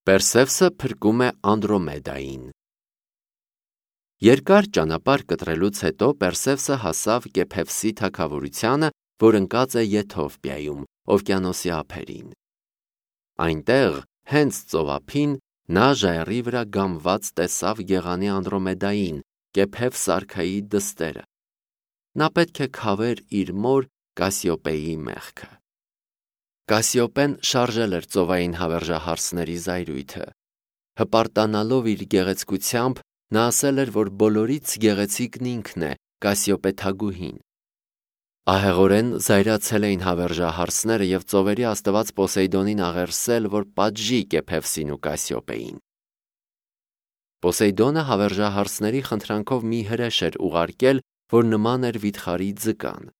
Պերսևսը փրկում է Անդրոմեդային։ Երկար ճանապարհ կտրելուց հետո Պերսևսը հասավ Կեփևսի թագավորությանը, որ ընկած է Եթովպիայում, օվկիանոսի ափերին։ Այնտեղ, հենց ծովափին, նա ժայռի վրա գամված տեսավ գեղանի Անդրոմեդային, Կեփևս արքայի դստերը։ Նա պետք է քավեր իր մոր Կասիոպեի մեղքը։ Կասիոպեն շարժել էր ծովային հավերժահարսների զայրույթը։ Հպարտանալով իր գեղեցկությամբ, նա ասել էր, որ բոլորից գեղեցիկն ինքն է, Կասիոպե թագուհին։ Ահեղորեն զայրացել էին հավերժահարսները և ծովերի աստված Պոսեյդոնին աղերսել, որ պատժի Կեփևսին ու Կասիոպեին։ Պոսեյդոնը հավերժահարսների խնդրանքով մի հրեշ էր ուղարկել, որ նման էր վիթխարի ձկան։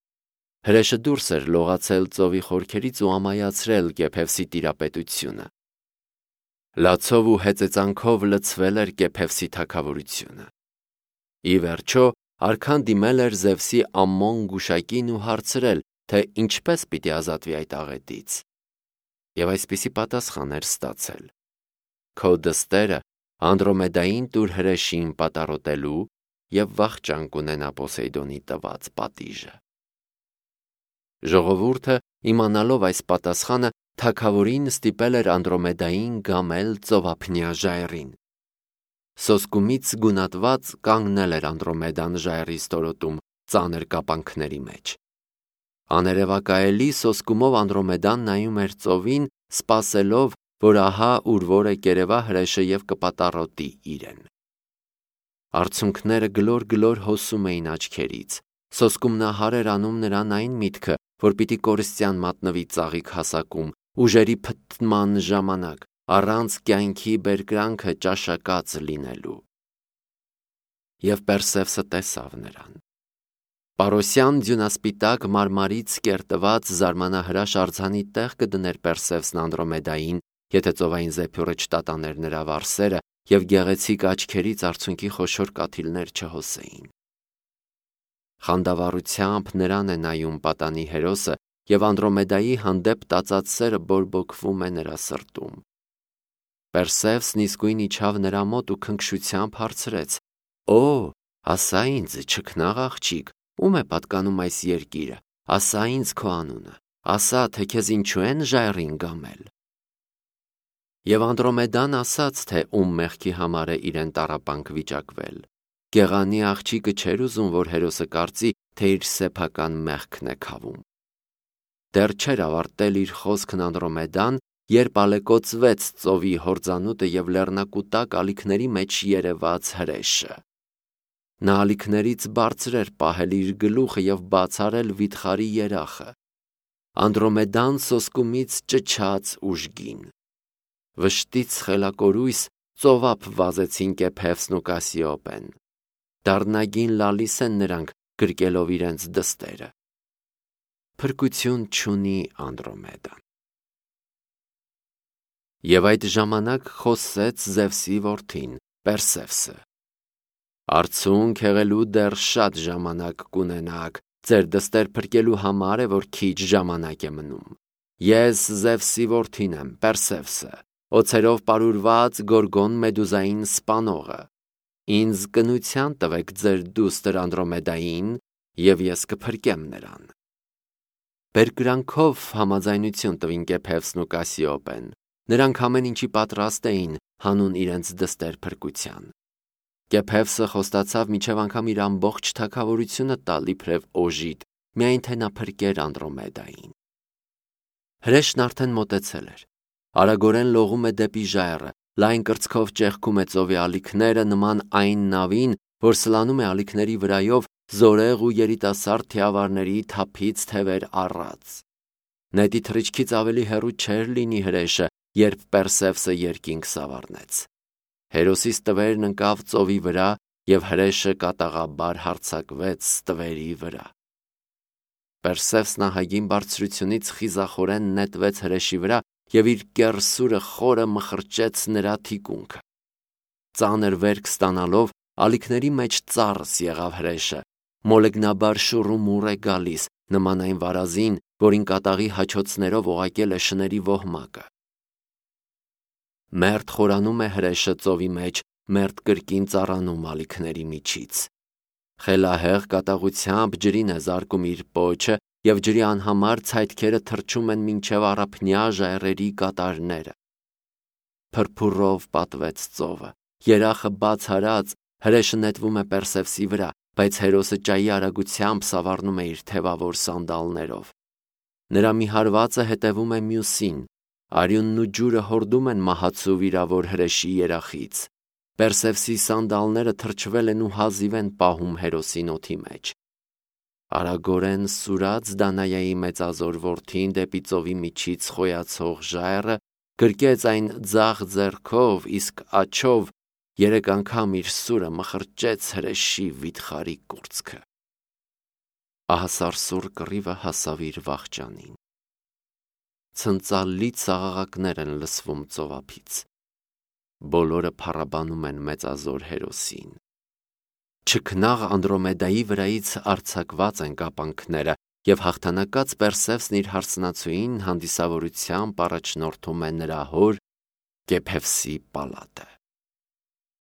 Հրեշը դուրս էր լողացել ծովի խորքերից ու ամայացրել Կեփևսի տիրապետությունը։ Լացով ու հեծեծանքով լցվել էր Կեփևսի թագավորությունը։ Ի վերջո, արքան դիմել էր Զևսի Ամմոն գուշակին ու հարցրել, թե ինչպես պիտի ազատվի այդ աղետից։ Եվ այսպիսի պատասխան էր ստացել. Քո դստերը Անդրոմեդային տուր հրեշին պատառոտելու և վախճան կունենա Պոսեյդոնի տված պատիժը։ Ժողովուրդը, իմանալով այս պատասխանը, թագավորին ստիպել էր Անդրոմեդային գամել ծովափնյա ժայռին։ Սոսկումից գունատված կանգնել էր Անդրոմեդան ժայռի ստորոտում, ծանր կապանքների մեջ։ Աներևակայելի սոսկումով Անդրոմեդան նայում էր ծովին, սպասելով, որ ահա ուր-որ է կերևա հրեշը և կպատառոտի իրեն։ Արցունքները գլոր-գլոր հոսում էին աչքերից։ Սոսկումնահար էր անում նրան այն միտքը, որ պիտի կորստյան մատնվի ծաղիկ հասակում, ուժերի փթթման ժամանակ, առանց կյանքի բերկրանքը ճաշակած լինելու։ Եվ Պերսևսը տեսավ նրան։ Պարոսյան ձյունասպիտակ մարմարից կերտված զարմանահրաշ արձանի տեղ կդներ Պերսևսն Անդրոմեդային, եթե ծովային զեփյուռը չտատաներ նրա վարսերը և գեղեցիկ աչքերից արցունքի խոշոր կաթիլներ չհոսեին։ Խանդավառությամբ նրան է նայում պատանի հերոսը, և Անդրոմեդայի հանդեպ տածած սերը բորբոքվում է նրա սրտում։ Պերսևսն իսկույն իջավ նրա մոտ ու քնքշությամբ հարցրեց. «Օ, ասա ինձ, չքնաղ աղջիկ, ում է պատկանում այս երկիրը, ասա ինձ քո անունը, ասա, թե քեզ ինչու են ժայռին գամել»։ Եվ Անդրոմեդան ասաց, թե ում մեղքի համար է իրեն տառապանք վիճակվել։ Գեղանի աղջիկը չէր ուզում, որ հերոսը կարծի, թե իր սեփական մեղքն է քավում։ Դեռ չէր ավարտել իր խոսքն Անդրոմեդան, երբ ալեկոծվեց ծովի հորձանուտը և լեռնակուտակ ալիքների մեջ երևաց հրեշը։ Նա ալիքներից բարձր էր պահել իր գլուխը և բաց արել վիթխարի երախը։ Անդրոմեդան սոսկումից ճչաց ուժգին։ Վշտից խելակորույս ծովափ վազեցին Կեփևսն ու Կասիոպեն։ Դառնագին լալիս են նրանք, գրկելով իրենց դստերը։ Փրկություն չունի Անդրոմեդան։ Եվ այդ ժամանակ խոսեց Զևսի որդին, Պերսևսը. «Արցունք հեղելու դեռ շատ ժամանակ կունենաք, ձեր դստեր փրկելու համար է, որ քիչ ժամանակ է մնում։ Ես Զևսի որդին եմ, Պերսևսը, օձերով պարուրված Գորգոն Մեդուզային սպանողը։ Ինձ կնության տվեք ձեր դուստր Անդրոմեդային, և ես կփրկեմ նրան»։ Բերկրանքով համաձայնություն տվին Կեփևսն ու Կասիոպեն։ Նրանք ամեն ինչի պատրաստ էին հանուն իրենց դստեր փրկության։ Կեփևսը խոստացավ մինչև անգամ իր ամբողջ թագավորությունը տալ իբրև օժիտ, միայն թե նա փրկեր Անդրոմեդային։ Հրեշն արդեն մոտեցել էր։ Արագորեն լողում է դեպի ժայռը, լայն կրծքով ճեղքում է ծովի ալիքները նման այն նավին, որ սլանում է ալիքների վրայով զորեղ ու երիտասարդ թիավարների թափից թևեր առած։ Նետի թռիչքից ավելի հեռու չէր լինի հրեշը, երբ Պերսևսը երկինք սավառնեց։ Հերոսի ստվերն ընկավ ծովի վրա, և հրեշը կատաղաբար հարձակվեց ստվերի վրա։ Պերսևսն ահագին բարձրությունից խիզախորեն նետվեց հրեշի վրա և իր կեռսուրը խորը մխրճեց նրա թիկունքը։ Ծանր վերք ստանալով, ալիքների մեջ ծառս եղավ հրեշը, մոլեգնաբար շուռումուռ է գալիս, նման այն վարազին, որին կատաղի հաչոցներով օղակել է շների ոհմակը։ Մերթ խորանում է հրեշը ծովի մեջ, մերթ կրկին ծառանում ալիքների միջից։ Խելահեղ կատաղությամբ ջրին է զարկում իր պոչը, և ջրի անհամար ցայտքերը թռչում են մինչև առափնյա ժայռերի կատարները։ Փրփուրով պատվեց ծովը, երախը բաց արած, հրեշը նետվում է Պերսևսի վրա, բայց Հերոսը ճայի արագությամբ սավառնում է իր թևավոր սանդալներով։ Նրա մի հարվածը հետևում է մյուսին, արյունն ու ջուրը հորդում են մահացու վիրավոր հրեշի երախից։ Պերսևսի սանդալները թրջվել են ու հազիվ են պահում Հերոսին օդի մեջ։ Արագորեն սուրաց Դանայայի մեծազոր որդին դեպի ծովի միջից խոյացող ժայռը, գրկեց այն ձախ ձեռքով, իսկ աջով 3 անգամ իր սուրը մխրճեց հրեշի վիթխարի կուրծքը։ Ահասարսուռ կռիվը հասավ իր վախճանին։ Ցնծալի ծաղաղակներ են լսվում ծովափից։ Բոլորը փառաբանում են մեծազոր Հերոսին։ Չքնաղ Անդրոմեդայի վրայից արձակված են կապանքները, և հաղթանակած Պերսևսն իր հարսնացուին հանդիսավորությամբ առաջնորդում է նրա հոր Կեփևսի պալատը։